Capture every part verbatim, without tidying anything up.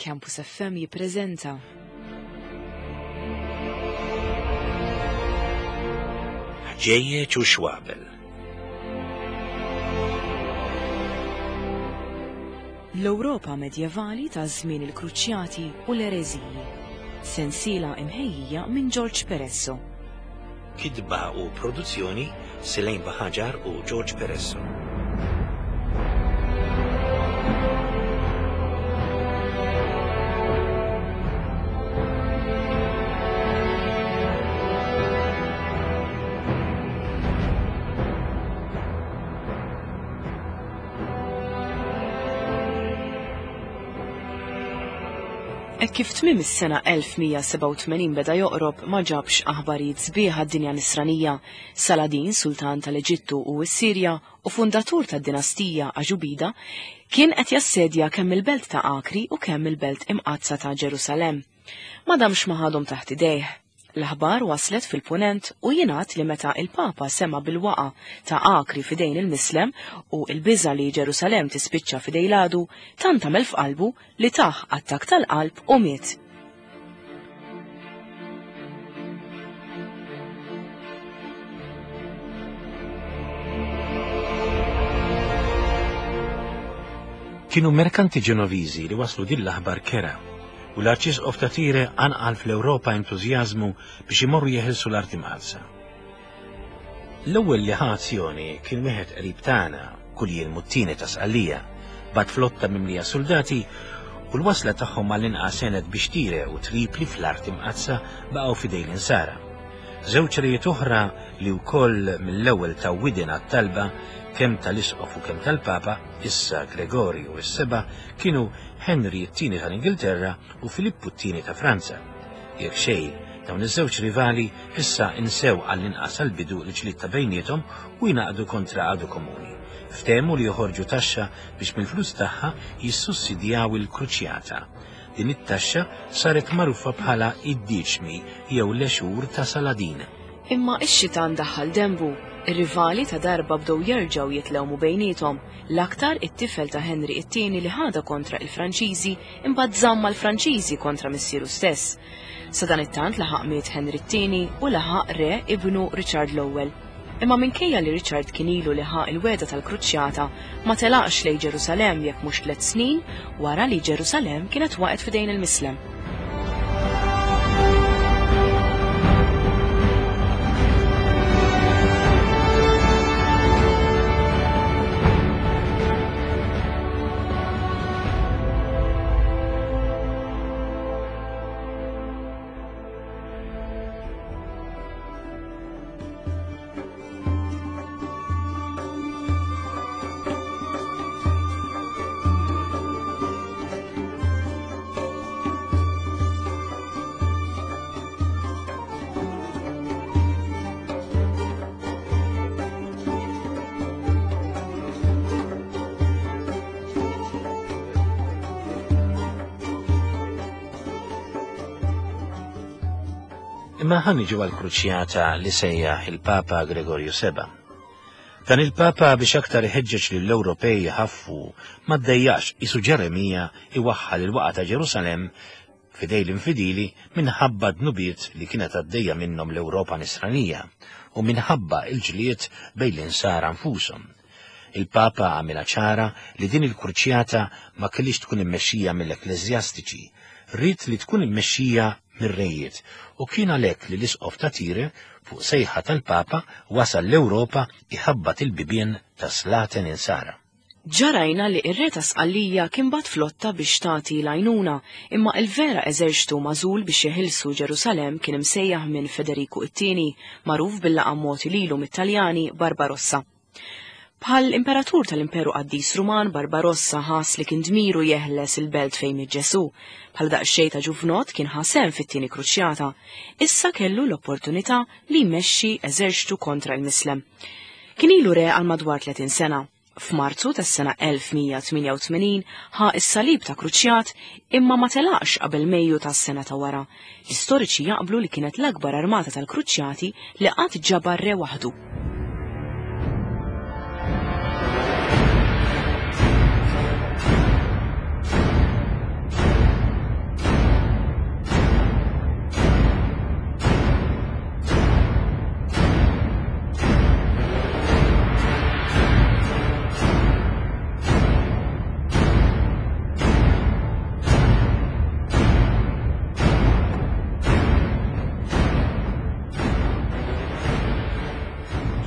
Campus F M jippreżenta Ħġejjeġ u Xwabel. L-Ewropa medjevali ta' żmien il-Kruċjati u l-Ereżiji. Sensiela imħejjija minn George Peresso. Kitba u produzzjoni Selene Baħaġar u George Peresso. Hekk kif tmiem is-sena elf mija sebgħa u tmenin beda joqrob ma ġabx aħbarijiet sbieħ għad-dinja nisranija. Saladin, sultan tal-Eġittu u s-Sirja u fundatur tad-dinastija Aġubida, kien qed jassedja kemm il-belt ta' Akri u kemm il-belt imqaddsa ta' Ġerusalemm. Ma damx ma ħadhom taħt idejh. L-aħbar waslet fil-punent u jingħad li meta il-Papa sema bil-waqa ta' Akri fidejn il-Mislem u il-biża li Ġerusalemm tispiċċa fidej l-għadu, tant għamel f'qalbu li taħ attakk tal-qalb u miet. Kienu merkanti Ġenoviżi li waslu din l-aħbar kera, u l-Arċisqof ta' Tire anqal fl-Ewropa entużjażmu biex imorru jeħilsu l-arti mqaddsa. L-ewwel li ħa azzjoni kien wieħed qrib tagħna, Kuljiel Muttini ta' Sqallija, bat flotta mimlija soldati u l-wasla tagħhom għall-inqas għenet biex Tire u Tripli fl-arti mqaddsa baqgħu f'idejn l-insara. Żewġ rejiet oħra li wkoll mill-ewwel ta' widin għat-talba kemm tal-Isqof u kemm tal-Papa, issa Gregorju s-Seba', kienu Henry t-tieni tal-Ingilterra u Filippu t-tieni ta' Franza. Jekk xejn, dawn iż-żewġ rivali issa insew għall-inqas għall-bidu l-ġlied ta' bejniethom u jnaqdu kontra għadu komuni. Ftehmu li joħorġu taxxa biex mill-flus tagħha jissussidjaw il-kruċjata. Din it-taxxa saret magħrufa bħala id-diċmi jew l-għexur ta' Saladin. Imma ix-xitan daħħal dembu. Ir-rivali ta' darba bdew jerġgħu jitlewmu bejniethom, l-aktar it-tifel ta' Henry it-tieni li ħadha kontra il-Franċiżi imbagħad żamm mal-Franċiżi kontra missieru stess. Sadanittant laħaq miet Henry it-tieni u laħaq re ibnu Richard l-ewwel. Imma minkejja li Richard kien ilu li ħa il-weda tal-Kruċjata, ma telaqx lejn Ġerusalemm jekk mhux tliet snin wara li Ġerusalemm kienet waqgħet f'idejn il-Mislem. Imma ħa niġu għall-kruċjata li sejjaħ il-Papa Gregorju seba'. Dan il-Papa biex aktar iħeġġeġ lill-Ewropej jħaffu ma ddejjax isu Ġeremija iwaħħal il-waqgħa ta' Ġerusalemm f'idej l-infidili minħabba dnubiet li kienet għaddejja minnhom l-Ewropa nisranija u minħabba l-ġlied bejn l-insara nfushom. Il-Papa għamilha ċara li din il-kruċjata ma kellix tkun immexxija mill-ekkleżjastiċi, ried li tkun immexxija mir-rejiet, u kien għalhekk li l-Isqof ta' Tire fuq sejħa tal-Papa wasal l-Ewropa iħabbat il-bibien ta' slaten insara. Ġarajna li ir-re ta' Sqallija kien bat flotta biex tagħti l-għajnuna, imma il-vera eżerċtu magħżul biex jeħilsu Ġerusalemm kien imsejjaħ minn Federiku it-tieni, magħruf bil-laqam mogħti lilu mit-Taljani Barbarossa. Bħal imperatur tal-Imperu Qaddis Ruman, Barbarossa ħass li kien dmiru jeħles il-belt fejn miet Ġesu. Bħal daqsxejn ta' ġuvnot kien ħasem fit-tieni kruċjata. Issa kellu l-opportunità li jmexxi eżerċtu kontra l-Mislem. Kien ilu re għal madwar tletin sena. F'Marzu tas-sena elf mija tmienja u tmenin ħa s-salib ta' kruċjat imma ma telaqx qabel Mejju tas-sena ta' wara. L-istoriċi jaqblu li kienet l-akbar armata tal-kruċjati li qatt ġabar re waħdu.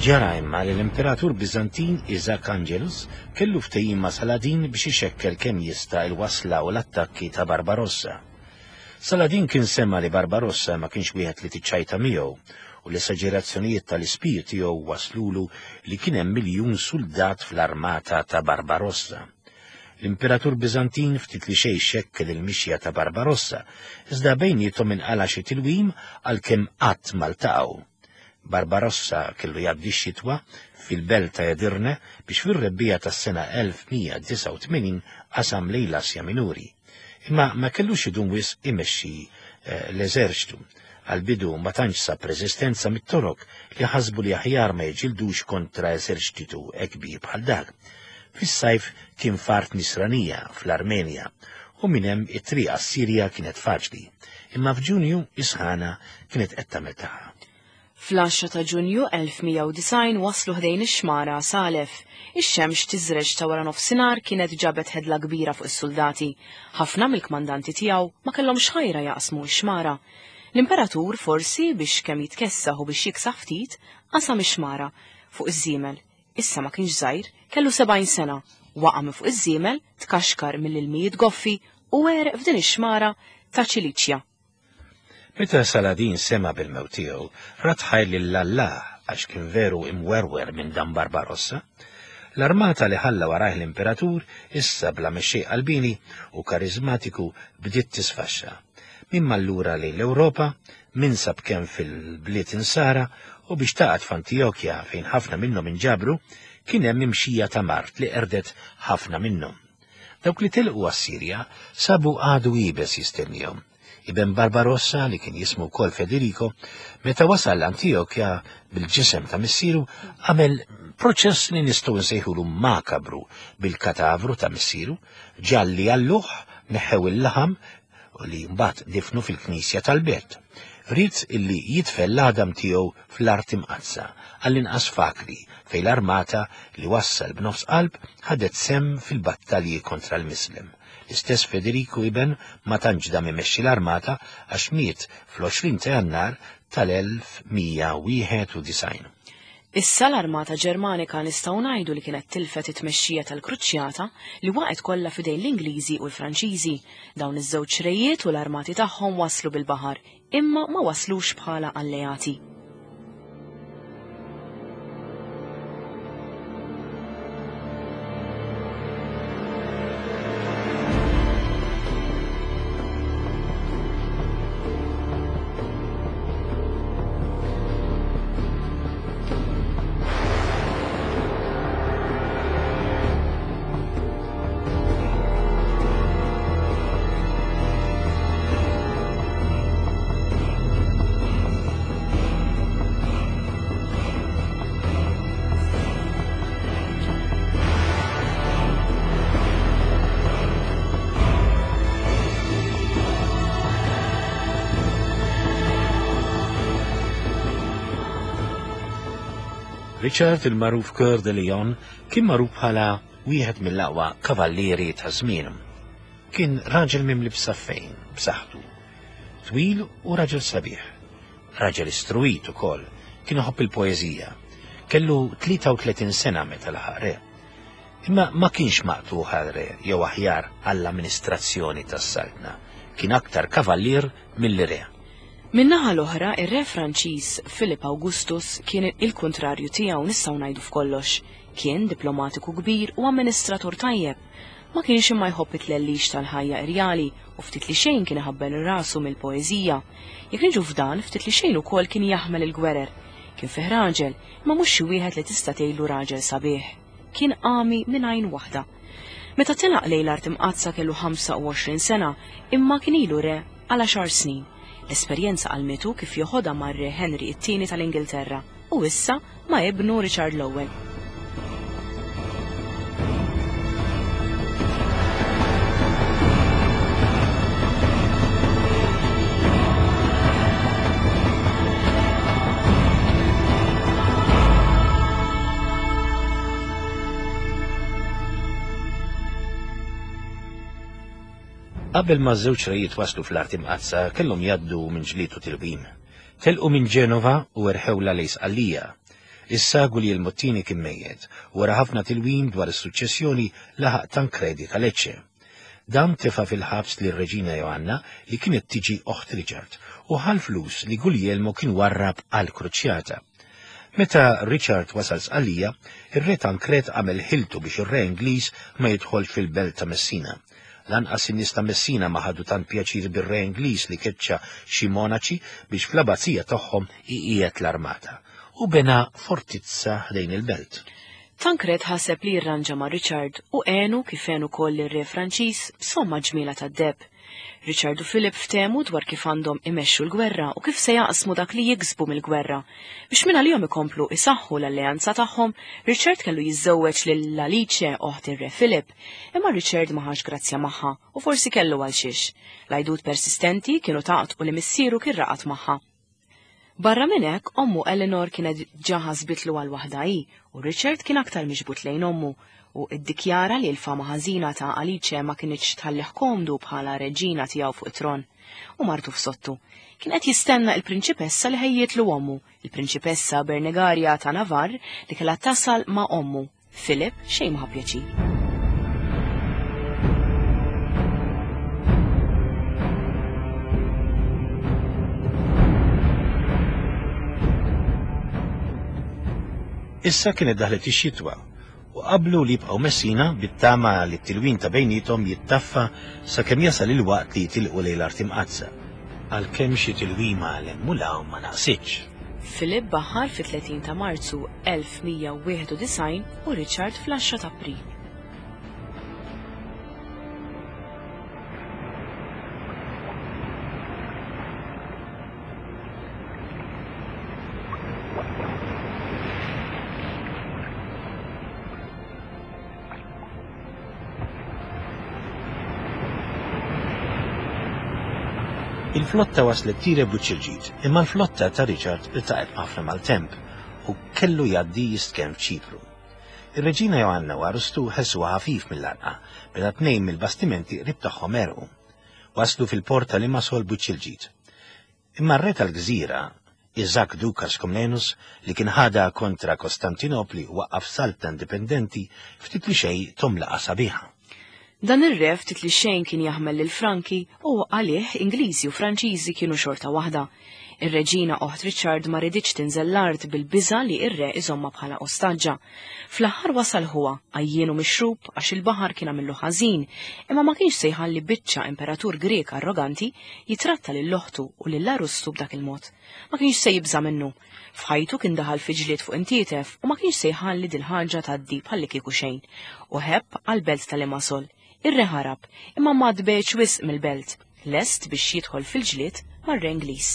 Ġara imma li l-Imperatur Biżantin Isaac Angelus kellu ftehim ma' Saladin biex ixekkel kemm jista' il-wasla u l-attakki ta' Barbarossa. Saladin kien sema li Barbarossa ma kienx wieħed li tiċċajta miegħu u l-esaġerazzjonijiet tal-ispir tiegħu waslulu li kien hemm miljun suldat fl-armata ta' Barbarossa. L-Imperatur Biżantin ftit li xejn xekkel il-mixja ta' Barbarossa, iżda bejniethom inqala xi tilwim għalkemm qatt ma ltaqgħu. Barbarossa kellu jgħaddi x-xitwa fil-belt ta' Edirne biex fir-rebbiegħa tas-sena elf mija disgħa u tmenin qasam lejn l-Asja Minuri. Imma ma kellux idum wisq imexxi l-eżerċtu. Għal-bidu ma tantx sab reżistenza mit-Torok li ħasbu li aħjar ma jiġildux kontra eżerċtitu kbir bħal dak. Fis-sajf kien fart Nisranija fl-Armenja u minn hemm it-triq għas-Sirja kienet faċli, imma f'Ġunju is-sħana kienet qed tagħmel tagħha. Fl-għaxra ta' Ġunju elf mija u disgħin waslu ħdejn ix-xmara Salef. Ix-xemx tiżreġ ta' wara nofsinhar kienet ġabet ħedla kbira fuq is-soldati. Ħafna mill-kmandanti tiegħu ma kellhomx ħajra jaqsmu x-xmara. L-imperatur forsi biex kemm jitkessaħ u biex jiksaħ ftit qasam ix-xmara fuq iż-żiemel. Issa ma kienx żgħir, kellu sebgħin sena, waqa' minn fuq iż-żiemel, tkaxkar mill-ilmijiet goffi u għereq f'din ix-xmara ta' Ċiliċja. Meta Saladin sema bil-mewt tiegħu, rat ħajr lil Allah għax kien veru imwerwer minn dan Barbarossa. L-armata li ħalla warajh l-imperatur issa bla mexxej qalbini u karizmatiku bdiet tisfaxxa. Min mallura lejn l-Ewropa, min sab kemm fil-bliet insara u biex taqgħod f'Antijokja fejn ħafna minnhom inġabru, kien hemm imxija ta' mart li qerdet ħafna minnhom. Dawk li telqu għas-Sirja sabu għadu iebes jistennihom. Iben Barbarossa, li kien jismu wkoll Federico, meta wasal Antijokja bil-ġisem ta' missieru, għamel proċess li nistgħu nsejħulu makabru bil-katavru ta' missieru, ġalli għalluh, neħew il-laħam u li mbagħad difnu fil-knisja tal-belt. Ried illi jitfel l-għadam tiegħu fl-art imqaddsa, għall-inqas fakri fejn l-armata li wassal b'nofs qalb ħadet sem fil-battalji kontra l-Mislem. L-istess Federico iben ma tantx dam imexxi l-armata għax miet fl-għoxrin ta' Jannar tal-elf mija wieħed u disgħin. Issa l-armata Ġermanika nistgħu ngħidu li kienet tilfet it-tmexxija tal-Kruċjata li waqgħet kollha f'idejn l-Ingliżi u l-Franċiżi. Dawn iż-żewġ rejiet u l-armati tagħhom waslu bil-baħar, imma ma waslux bħala alleati. Richard il-magħruf Coeur de Lion kien magħruf bħala wieħed mill-aqwa kavallieri ta' żmienhom. Kien raġel mimli b'saffejn, b'saħħtu, twil u raġel sabiħ. Raġel istruit ukoll, kien iħobb il-poeżija. Kellu tlieta u tletin sena meta laħaq re. Imma ma kienx maqtuħ għal re jew aħjar għall-amministrazzjoni tas-saltna. Kien aktar kavallier milli re. Min-naħa l-oħra, ir-re Franċiż Philip Augustus kien il-kontrarju tiegħu nistgħu ngħidu f'kollox. Kien diplomatiku kbir u amministratur tajjeb. Ma kienx imma jħobb it-tlellix tal-ħajja irjali u ftit li xejn kien iħabbel rasu mill-poeżija. Jekk niġu f'dan, ftit li xejn ukoll kien jaħmel il-gwerer. Kien fih raġel, imma mhux xi wieħed li tista' tgħidlu raġel sabiħ. Kien għami minn għajn waħda. Meta telaq lejn l-art imqaddsa kellu ħamsa u għoxrin sena, imma kien ilu re għal għaxar snin. L-esperjenza għalmitu kif joħodha mar-re Henry it-tieni tal-Ingilterra u issa ma' ibnu Richard l-ewwel. Qabel ma ż-żewġ rejiet waslu fl-art imqaddsa kellhom jgħaddu minn ġlied u tilwim. Telqu minn Ġenova u erħewla lejn Sqallija. Issa Guglielmo t-tieni kien mejjet, u wara ħafna tilwim dwar is-suċċessjoni laħaq Tankredi ta' Lecce. Dan tefa' fil-ħabs lir-Reġina Joanna li kienet tiġi oħt Richard u ħa l-flus li Guglielmo kien warrab għall-kruċjata. Meta Richard wasal Sqallija, ir-re Tankred għamel ħiltu biex ir-re Ingliż ma jidħolx fil-belt ta' Messina. Lanqas in-nies ta' Messina ma ħadu tant pjaċir bir-re Ingliż li keċċa xi monaċi biex fl-abbazija tagħhom iqiegħed l-armata u bena fortizza ħdejn il-belt. Tankred ħaseb li jirranġa ma' Richard u għenu kif għenu koll ir-re Franċiż b'somma ġmiela tad-deheb. Richard u Philip ftehmu dwar kif għandhom imexxu l-gwerra u kif se jaqsmu dak li jiksbu mill-gwerra. Biex minn għalihom ikomplu isaħħu l-alleanza tagħhom, Richard kellu jiżżewweġ lil Alice oħt ir-re Philip, imma Richard ma ħax grazzja magħha u forsi kellu għal xiex. L-għajdut persistenti kienu taqtqu li missieru kien raqat magħha. Barra minn hekk, ommu Eleanor kienet ġa ħasbitlu għal waħda hi u Richard kien aktar miġbut lejn ommu u iddikjara li l-fama ħażina ta' Alice ma kinitx tħallih komdu bħala reġina tiegħu fuq it-tron. U martu f'sottu. Kien qed jistenna il-prinċipessa li ħejjietlu ommu, il-prinċipessa Bernegaria ta' Navarre li kellha tasal ma' ommu. Philip xejn ma ħa pjaċir. Issa kienet daħlet ix-xitwa u qablu li jibqgħu Messina bit-tama li t-tilwin ta' bejniethom jittaffa sakemm jasal il-waqt li jitilqu lejn l-Art Imqaddsa. Għalkemm xi tilwima 'l hemm u 'l hawn ma naqsitx. Philip baħar fit-tletin ta' Marzu elf mija u wieħed u disgħin u Richard fl-għaxra ta' April. Il-flotta waslet Tire b'wiċċ il-ġid, imma l-flotta ta' Richard iltaqgħet ħafna mal-temp u kellu jgħaddi jistkenn f'Ċipru. Ir-Reġina Joanna u Arustu ħessuha ħafif mill-għarqa meta tnejn mill-bastimenti qrib tagħhom għerqu. Waslu fil-port ta' Limassol b'wiċċ il-ġid. Imma r-re tal-gżira, Isaac Dukas Komnenus, li kien ħada kontra Kostantinopli u waqqaf saltna indipendenti, ftit li xejn tom laqa sabiħa. Dan ir-re ftit li xejn kien jaħmel lil Franki u għalih Ingliżi u Franċiżi kienu xorta waħda. Ir-reġina oħt Richard ma riditx tinżel l-art bil-biża' li ir-re iżomma bħala ostaġġa. Fl-aħħar wasal ħuha, għajjien u mixrub għax il-baħar kien għamillu ħażin, imma ma kienx se jħalli biċċa imperatur Grek arroganti jitratta lil oħtu u lil Arustu b'dak il-mod. Ma kienx se jibża' minnu. F'ħajtu kien daħal fi ġlied fuq intietef u ma kienx se jħalli dil-ħaġa tgħaddi bħalli kieku xejn. U ħebb għall-belt ta' Limassol. Ir-re ħarab, imma ma tbeċ wisq mill-belt, lest biex jidħol fil-ġlied mar-re Ingliż.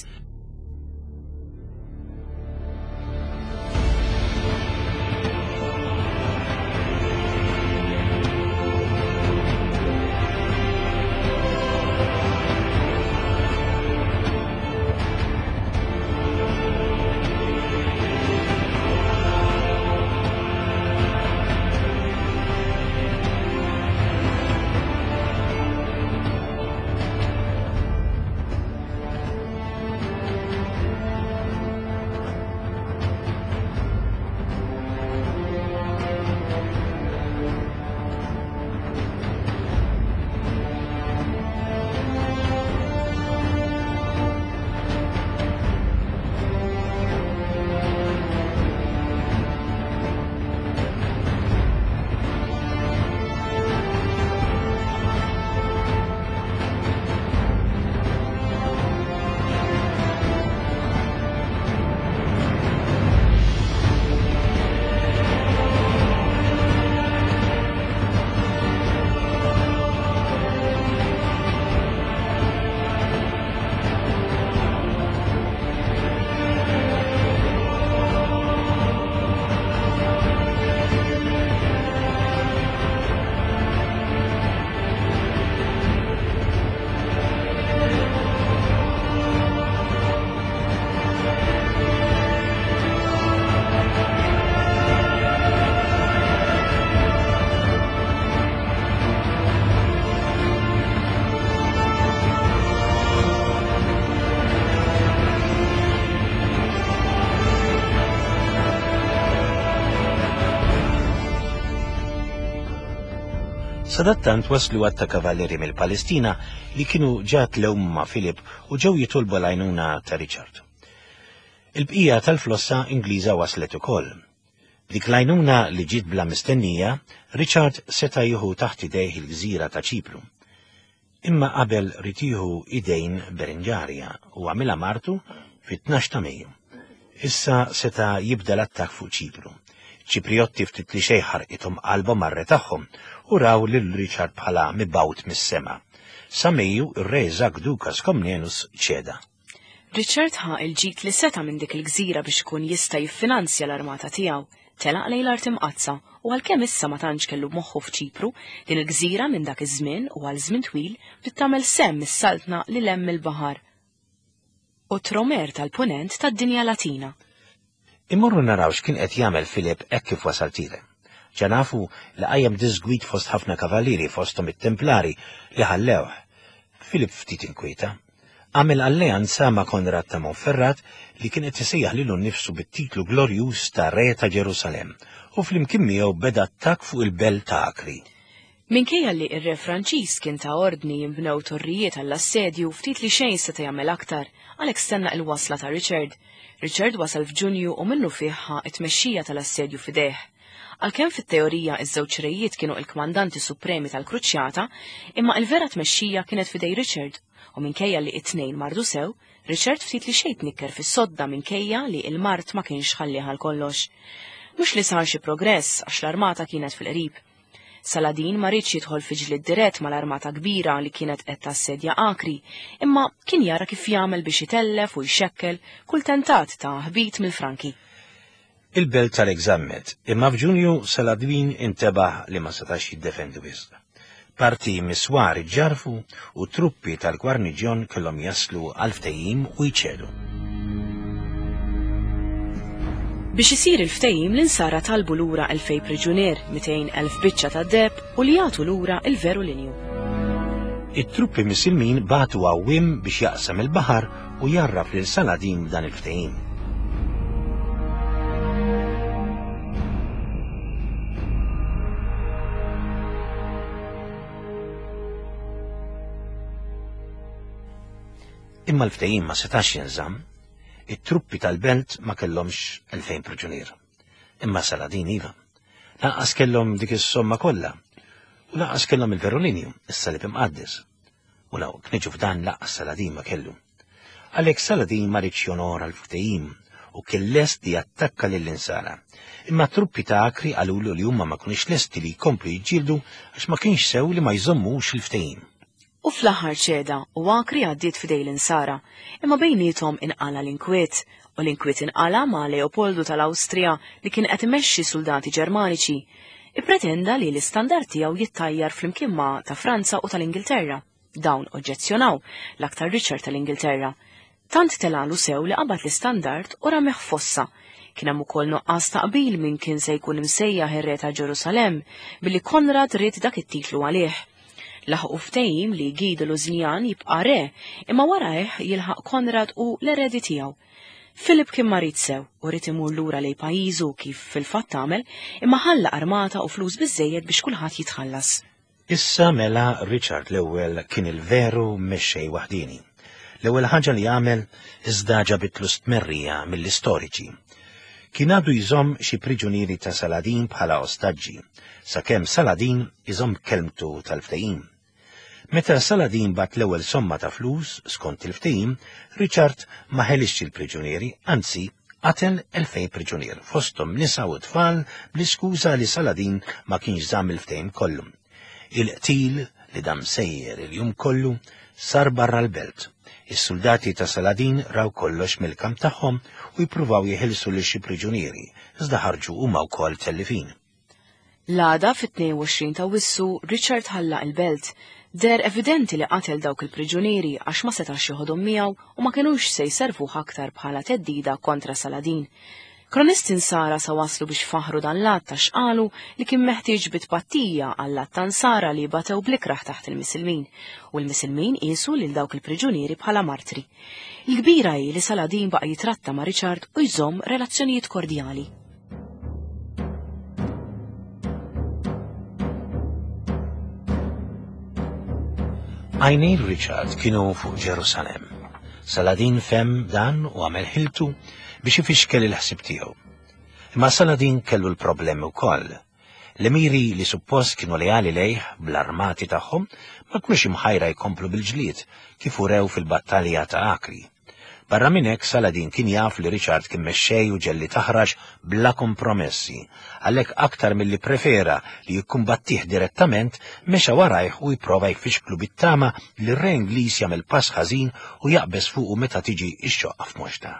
Sadattant waslu għadd ta' kavallieri mill-Palestina li kienu ġa tlew ma' Filip u ġew jitolbu l-għajnuna ta' Richard. Il-bqija tal-flossa Ingliża waslet ukoll. B'dik l-għajnuna li ġiet bla mistennija, Richard seta' jieħu taħt idejh il-gżira ta' Ċipru. Imma qabel ried jieħu idejn Berenġarja u għamilha martu fit-tnax ta' Mejju. Issa seta' jibda l-attakk fuq Ċipru. Ċipriotti ftit li xejn ħarqithom qalbhom mar-re tagħhom u raw lil Richard bħala mibgħut mis-sema. Sa Mejju ir-re Isaac Dukas Komnenus ċeda. Richard ħa il-ġid li seta' minn dik il-gżira biex ikun jista' jiffinanzja l-armata tiegħu. Telaq lejn l-Art Imqaddsa u għalkemm issa ma tantx kellu moħħu f'Ċipru, din il-gżira minn dak iż-żmien u għal żmien twil bdiet tagħmel sehem mis-saltna lil hemm il-baħar u tromer tal-punent tad-dinja Latina. Immorru naraw x'kien qed jagħmel Filip hekk kif wasal Tire. Ġa nafu li qajjem diżgwid fost ħafna kavallieri fosthom it-Templari li ħallewh. Filip ftit inkwieta. Għamel alleanza ma' Konrad ta' Monferrat li kien qed isejjaħ lilu nnifsu bit-titlu glorjuż ta' Re ta' Ġerusalemm u flimkien miegħu beda attakk fuq il-belt ta' Akri. Minkejja li r-re Franċiż kien ta' ordni jinbnew torrijiet għall-assedju, ftit li xejn seta' jagħmel aktar, għalhekk stenna il-wasla ta' Richard. Richard wasal f'Ġunju u minnu fih ħa t-tmexxija tal-assedju f'idejh. Għalkemm fit-teorija iż-żewġ rejiet kienu il-kmandanti supremi tal-Kruċjata, imma il-vera tmexxija kienet f'idej Richard, u minkejja li it-tnejn mardu sew, Richard ftit li xejn tnikker fis-sodda minkejja li il-mard ma kienx ħallih għal kollox. Mhux li sar xi progress għax l-armata kienet fil-qrib. Saladin ma riedx jidħol fi ġlied dirett mal-armata kbira li kienet qed tassedja Akri, imma kien jara kif jagħmel biex itellef u jxekkel kull tentat ta' ħbit mill-Franki. Il-belt tal-egżammet, imma f'Ġunju Saladin intebaħ li ma setax jiddefendi wisq. Parti miswar iġġarfu u truppi tal-gwarniġjon kellhom jaslu għal ftehim u jċedu. Biex isir il-ftehim l-insara talbu lura elfej priġunier, mitejn elf biċċa ta' deheb u li jagħtu lura il-veru linju. It-truppi Misilmin bagħtu għawwiem biex jaqsam il-baħar u jarraf lil Saladin b'dan il-ftehim. Imma l-ftehim ma setax jinżamm. It-truppi tal-belt ma kellhomx elfejn priġunier. Imma Saladin iva. Lanqas kellhom dik is-somma kollha. U lanqas kellhom il-veru linju, is-salib imqaddes. U law kniġu f'dan lanqas Saladin ma kellu. Għalhekk Saladin ma riedx jonora l-ftehim u kien lest li jattakka lill-insara. Imma truppi ta' Akri qalulu li huma ma kinux lesti li jkomplu jiġġieldu għax ma kienx sew li ma jżommux il-ftehim. U fl-aħħar ċeda u Akri għaddiet f'idej l-insara, imma bejniethom inqala l-inkwiet, u l-inkwiet inqala ma' Leopoldu tal-Awstrija li kien qed imexxi soldati Ġermaniċi. Ippretenda li l-istandard tiegħu jittajjar flimkien ma' ta' Franza u tal-Ingilterra. Dawn oġġezzjonaw, l-aktar Richard tal-Ingilterra. Tant telalu sew li qabad l-istandard u rameh fossa. Kien hemm ukoll nuqqas ta' qbil min kien se jkun imsejjaħ ir-re ta' Ġerusalemm billi Konrad ried dak it-titlu għalih. Laħqu ftehim li Guy de Lusignan jibqa' re, imma warajh jilħaq Konrad u l-eredi tiegħu. Filip kien marid sew u ried imur lura lejn pajjiżu kif fil-fatt għamel, imma ħalla armata u flus biżżejjed biex kulħadd jitħallas. Issa mela Richard l-ewwel kien il-veru mexxej waħdini. L-ewwel ħaġa li għamel iżda ġabitlu stmerrija mill-istoriċi. Kien għadu jżomm xi priġunieri ta' Saladin bħala ostaġġi, sakemm Saladin iżomm kelmtu tal-ftehim. Meta Saladin bat l-ewwel somma ta' flus skont il-ftehim, Richard ma ħelixx il-priġunieri, anzi qatel elfejn priġunier, fosthom nisa u tfal bl-iskuża li Saladin ma kienx żamm il-ftehim kollu. Il-qtil li dam sejjer il-jum kollu sar barra l-belt. Is-soldati ta' Saladin raw kollox mill-kamp tagħhom u jippruvaw jeħilsu lil xi priġunieri, iżda ħarġu huma wkoll tellifin. L-għada fit-tnejn u għoxrin ta' Wissu, Richard ħallaq il-belt. Der evidenti li qatel dawk il-priġunieri għax ma setax joħodhom miegħu u ma kinux se jservuh aktar bħala theddida kontra Saladin. Kronisti nsara sa waslu biex faħru dan l-att għax qalu li kien meħtieġ bitpattija għall-att ta' nsara li batew blikraħ taħt il-Misilmin, u l-Misilmin qisu lil dawk il-priġunieri bħala martri. Il-kbira hi li Saladin baqa' jitratta ma' Richard u jżomm relazzjonijiet kordjali. Għajnejn Richard kienu fuq Ġerusalemm. Saladin fehem dan u għamel ħiltu biex ifixkel il-ħsib tiegħu. Imma Saladin kellu l-problemi wkoll. L-emiri li suppost kienu leali lejh bl-armati tagħhom ma kinux imħajra jkomplu bil-ġlied kif urew fil-battalja ta' Akri. Barra minn hekk Saladin kien jaf li Richard kien mexxej u ġellied aħrax bla kompromessi, għalhekk aktar milli prefera li jikkumbattih direttament mexa warajh u jipprova jfixklu bit-tama li r-re Ingliż jagħmel pass ħażin u jaqbeż fuqu meta tiġi x-xoqqa f'moxta.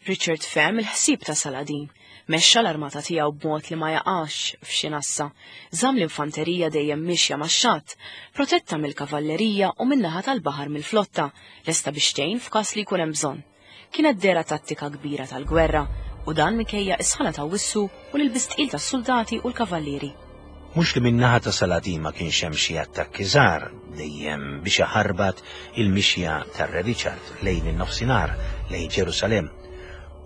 Richard fehem il-ħsieb ta' Saladin, mexxa l-armata tiegħu b'mod li ma jaqax f'xi nassa, żamm l-infanterija dejjem mixja max-xatt, protetta mill-kavallerija u min-naħa tal-baħar mill-flotta, lesta biex tgħin f'każ li jkun hemm bżonn. Kienet dehra tattika kbira tal-gwerra u dan minkejja is-sħana ta' Awwissu u l-ilbies tqil tas-soldati u l-kavallieri. Mhux li min-naħa ta' Saladin ma kienx hemm xi attakki żgħar dejjem biex iħarbat il-mixja tar-Re Richard lejn in-nofsinhar lejn Ġerusalemm.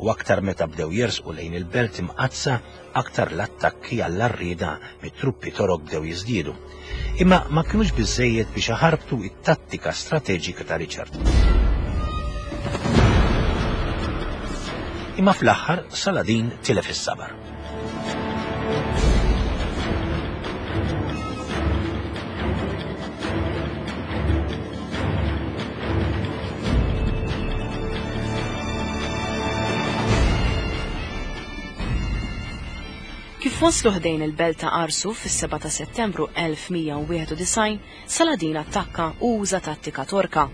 U aktar meta bdew jersqu lejn il-belt imqaddsa, aktar l-attakki għall-għarrieda mit-truppi Torok bdew jiżdiedu. Imma ma kinux biżżejjed biex iħarbtu it-tattika strateġika ta' Richard. Imma fl-aħħar Saladin tilef is-sabar. Kif waslu ħdejn il-belt ta' Arsuf fis-sebgħa ta' Settembru elf mija u wieħed u disgħin, Saladin attakka u uża tattika Torka.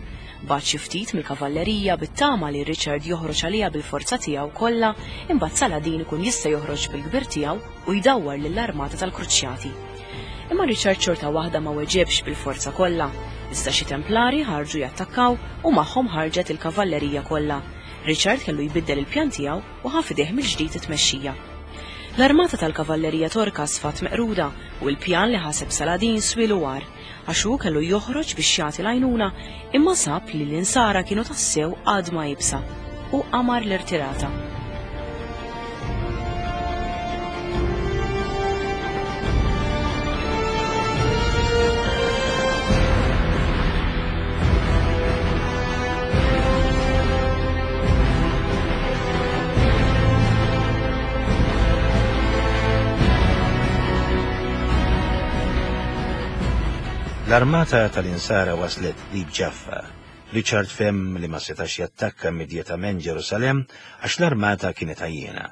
Bagħat xi ftit mill-kavallerija bit-tama li Richard joħroġ għaliha bil-forza tiegħu kollha, imbagħad Saladin ikun jista' joħroġ bil-kbir tiegħu u jdawwar lill-armata tal-Kruċjati. Imma Richard xorta waħda ma weġibx bil-forza kollha, iżda xi Templari ħarġu jattakkaw u magħhom ħarġet il-kavallerija kollha. Richard kellu jbiddel il-pjan tiegħu u ħa f'idejh mill-ġdid it-tmexxija. L-armata tal-kavallerija Torka sfat meqruda u l-pjan li ħaseb Saladin swielu war, għax hu kellu joħroġ biex jagħti l-għajnuna, imma sab li l-insara kienu tassew għadma iebsa u qamar l-irtirata. L-armata tal-insara waslet qrib Ġaffa. Richard fehem li ma setax jattakka immedjatament Ġerusalemm għax l-armata kienet għajjena.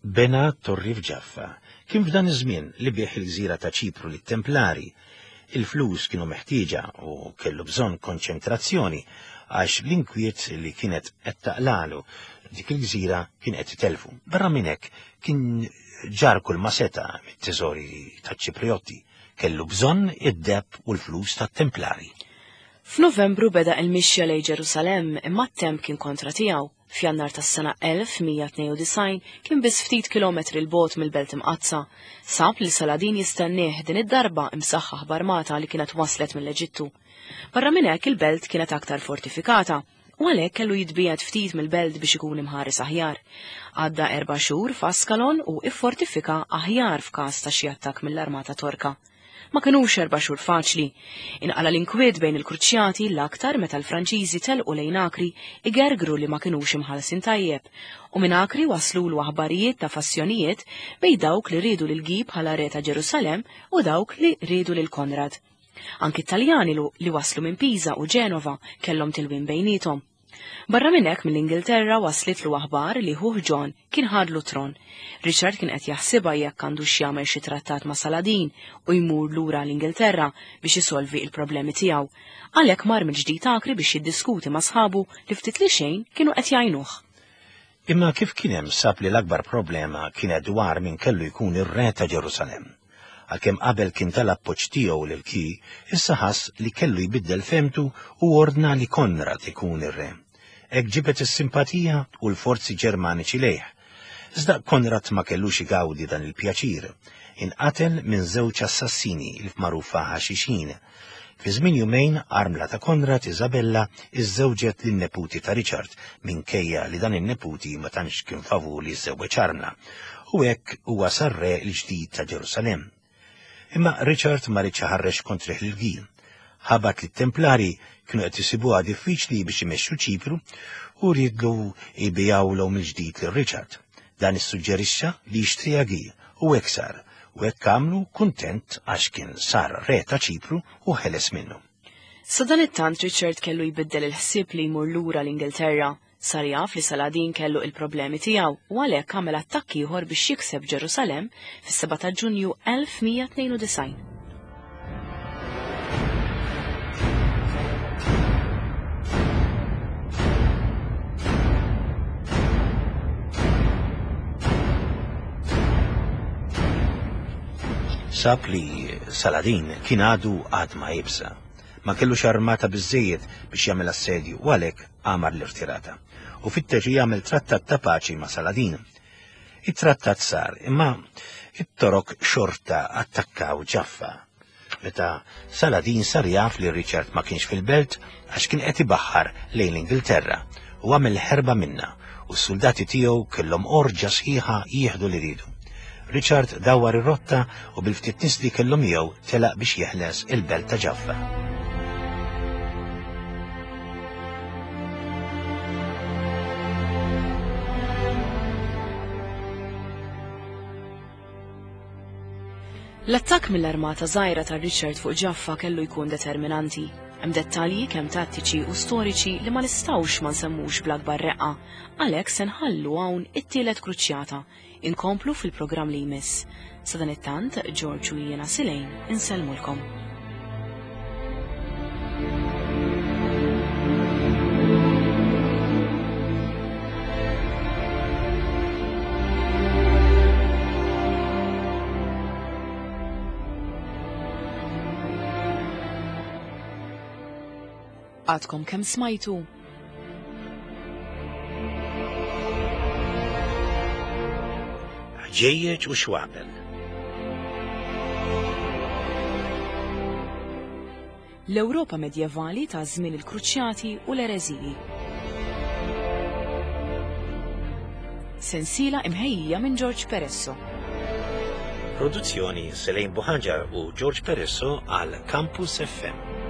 Bena torri f'Ġaffa. Kien f'dan iż-żmien li bih il-gżira ta' Ċipru lit-Templari. Il-flus kienu meħtieġa u kellu bżonn konċentrazzjoni għax l-inkwiet li kienet qed taqlalu dik il-gżira kien qed itelfu. Barra minn hekk kien ġar kull ma seta' mit-teżori taċ-Ċipriotti. Kellu bżonn id-deheb u l-flus tat-Templari. F'Novembru beda il-mixja lejn Ġerusalemm, imma t-temp kien kontra tiegħu. F'Jannar tas-sena elf mija tnejn u disgħin kien biss ftit kilometri l bogħod mill-Belt Imqaddsa. Sab li Saladin jistennieh din id-darba imsaħħaħ b'armata li kienet waslet mill-Eġittu. Barra minn hekk il-belt kienet aktar fortifikata u għalhekk kellu jitbiegħed ftit mill-belt biex ikun imħares aħjar. Għadda erba' xhur f'Ascalon u iffortifika aħjar f'każ ta' xi attakk mill-armata Torka. Ma kinux erba' xhur faċli. Inqala l-inkwiet bejn il-Kruċjati l-aktar meta l-Franċiżi telqu lejn Akri igergru li ma kinux imħallsin tajjeb, u minn Akri waslulu aħbarijiet ta' fassjonijiet bejn dawk li riedu lil Guy bħala re ta' Ġerusalemm u dawk li riedu lil Konrad. Anki Taljani li waslu minn Pisa u Ġenova kellhom tilwim bejniethom. Barra minn hekk mill-Ingilterra waslitlu aħbar li ħuh John kien ħadlu tron. Richard kien qed jaħsibha jekk għandu x'jagħmel xi trattat ma' Saladin u jmur lura l-Ingilterra biex isolvi il-problemi tiegħu. Għalhekk mar mill-ġdid Akri biex jiddiskuti ma' sħabu li ftit li xejn kienu qed jgħinuh. Imma kif kien hemm sab li l-akbar problema kienet dwar min kellu jkun ir-re ta' Ġerusalemm. Għalkemm qabel kien tal-appoġġ tiegħu lil Guy, issa ħass li kellu jbiddel femtu u ordna li Konrad ikun ir-re. Hekk ġibet is-simpatija u l-forzi Ġermaniċi lejh. Iżda Konrad ma kellux igawdi dan il-pjaċir. Inqatel minn żewġ assassini il magħrufa ħaxixin. Fi żmien jumejn armla ta' Konrad Isabella iżżewġet lin-neputi ta' Richard minkejja li dan in-neputi ma tantx kien favur li jiżżewweġ armla. U hekk huwa sar re l-ġdid ta' Ġerusalemm. Imma Richard ma riedx iħarrex kontrih lil Guy. Ħabat li t-Templari kienu qed isibuha diffiċli biex imexxu Ċipru u riedlu jbigħulhom mill-ġdid lil Richard. Dan issuġġerixxa li jixtriha Guy u hekk sar, u hekk għamlu kuntent għax kien sar re ta' Ċipru u ħeles minnu. Sadanittant Richard kellu jbiddel il-ħsieb li jmur lura l-Ingilterra. Sar jaf li Saladin kellu il-problemi tiegħu u għalhekk għamel attakk ieħor biex jikseb Ġerusalemm fis-seba' ta' Ġunju elf mija tnejn u disgħin. Sab li Saladin kien għadu għad ma jibsa. Ma kellux armata biżżejjed biex jagħmel assedju u għalhekk għamar l-irtirata. U fittex li jagħmel trattat ta' paċi ma' Saladin. It-trattat sar, imma it-Torok xorta attakkaw Ġaffa. Meta Saladin sar jaf li Richard ma kienx fil-belt għax kien qed ibaħħar lejn l-Ingilterra u għamel ħerba minna u s-soldati tiegħu kellhom orġa sħiħa jieħdu li ridu. Richard dawar ir-rotta u bil-ftit nies li kellhom miegħu telaq biex jeħles il-belt ta' Ġaffa. L-attakk mill-armata żgħira ta' Richard fuq Ġaffa kellu jkun determinanti. Hemm dettalji kemm tattiċi u storiċi li ma nistgħux ma nsemmux bl-akbar reqqa, għalhekk se nħallu hawn it-tielet kruċjata. Inkomplu fil-programm li jmiss. Sadanittant, George u jiena Silejn insellmulkom. Għadkom kemm smajtu? Ħġejjeġ u xwabel. L-Ewropa medjevali ta' żmien il-Kruċjati u l-Ereżiji. Sensiela imħejjija minn George Peresso. Produzzjoni Selene Buhaġar u George Peresso għal Campus F M.